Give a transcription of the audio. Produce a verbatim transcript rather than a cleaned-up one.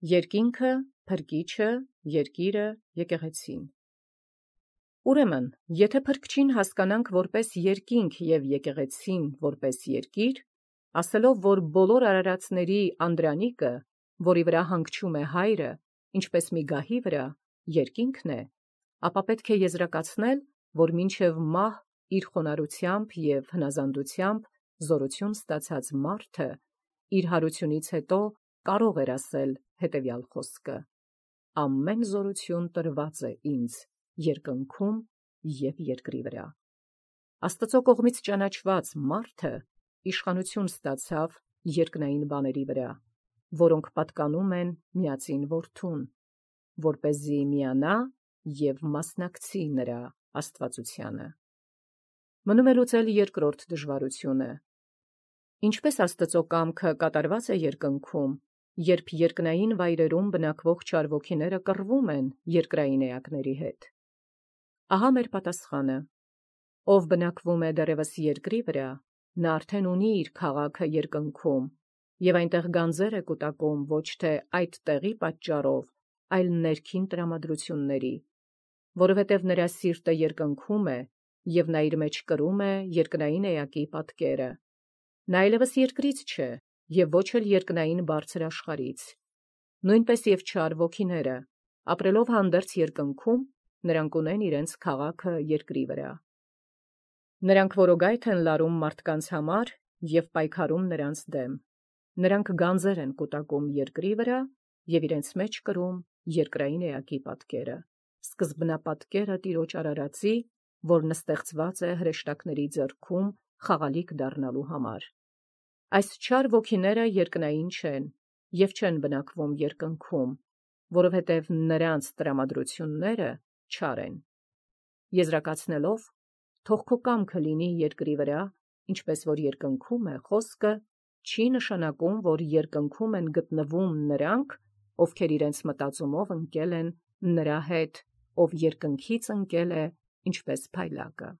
Երկինքը, փրկիչը, երկիրը, եկեղեցին։ Ուրեմն, եթե փրկչին հասկանանք որպես երկինք և եկեղեցին որպես երկիր, ասելով, որ բոլոր արարածների անդրանիկը, որի վրա հանգչում է հայրը, ինչպես մի գահի վրա, երկինքն է, ապա պետք է եզրակացնել, որ մինչև մահ իր խոնարհությամբ և հնազանդությամբ զորություն ստացած մարդը իր հարությունից հետո կարող էր ասել հետևյալ խոսքը. «Ամեն զորություն տրված է ինձ երկնքում և երկրի վրա»։ Աստծո կողմից ճանաչված մարդը իշխանություն ստացավ երկնային բաների վրա, որոնք պատկանում են միածին Որդուն, որպեսզի միանա և մասնակցի նրա աստվածությանը։ Մնում է լուծել երկրորդ դժվարությունը. ինչպես Աստծո կամքը կատարված է երկնքում, երբ երկնային վայրերում բնակվող չարվոգիները կռվում են երկրային էակների հետ։ Ահա մեր պատասխանը. ով բնակվում է դեռևս երկրի վրա, նա արդեն ունի իր քաղաքը երկնքում, և այնտեղ գանձեր է կուտակում ոչ թե այդ տեղի պատճառով, այլ ներքին տրամադրությունների, որովհետև նրա սիրտը երկնքում է, և նա իր մեջ կրում է երկնային էակի պատկերը։ Նա այլևս երկրից չէ, և ոչ էլ երկնային բարձր աշխարհից։ Նույնպես և չար ոգիները, ապրելով հանդերձ երկնքում, նրանք ունեն իրենց քաղաքը երկրի վրա։ Նրանք որոգայթ են լարում մարդկանց համար և պայքարում նրանց դեմ։ Նրանք գանձեր են կուտակում երկրի վրա և իրենց մեջ կրում երկրային էակի պատկերը, սկզբնապատկերը Տիրոջ արարածի, որն ստեղծված է հրեշտակների ձեռքում խաղալիք դառնալու համար։ Այս չար ոգիները երկնային չեն և չեն բնակվում երկնքում, որովհետև նրանց տրամադրությունները չար են։ Եզրակացնելով, թող քո կամքը լինի երկրի վրա, ինչպես որ երկնքում է, խոսքը չի նշանակում, որ երկնքում են գտնվում նրանք, ովքեր իրենց մտածումով ընկել են նրա հետ, ով երկնքից ընկել է, ինչպես փայլակը։